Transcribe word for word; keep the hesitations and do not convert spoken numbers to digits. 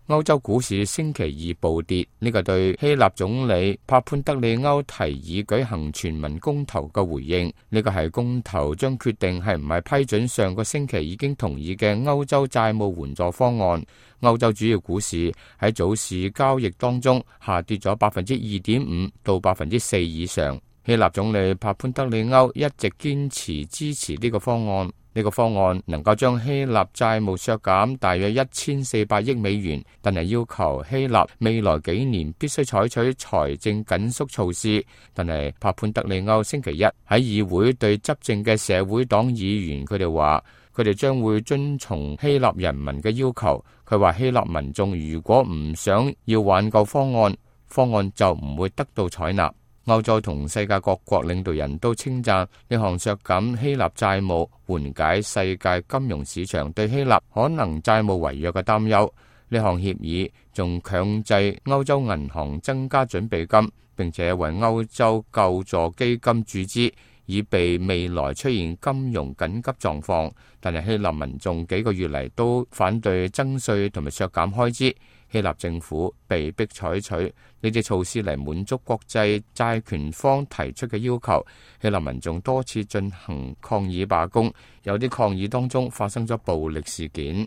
歐洲股市星期二暴跌，呢個對希臘總理帕潘德里歐提議舉行全民公投嘅回應。呢個係公投將決定係唔係批准上個星期已經同意嘅歐洲債務援助方案。歐洲主要股市喺早市交易當中下跌咗百分之二點五到百分之四以上。希臘總理帕潘德里歐一直堅持支持呢個方案。呢個方案能夠將希臘債務削減大約一千四百億美元，但係要求希臘未來幾年必須採取財政緊縮措施。但係帕潘德里歐星期一喺議會對執政嘅社會黨議員，佢哋話佢哋將會遵從希臘人民嘅要求。佢話希臘民眾如果唔想要挽救方案，方案就唔會得到採納。歐洲同世界各國領導人都稱讚呢項削減希臘債務，緩解世界金融市場對希臘可能債務違約嘅擔憂。呢項協議仲強制歐洲銀行增加準備金，並且為歐洲救助基金注資，以備未來出現金融緊急狀況。但係希臘民眾幾個月嚟都反對增稅同埋削減開支。希臘政府被迫採取呢啲措施嚟滿足國際債權方提出嘅要求。希臘民眾多次進行抗議罷工，有啲抗議當中發生咗暴力事件。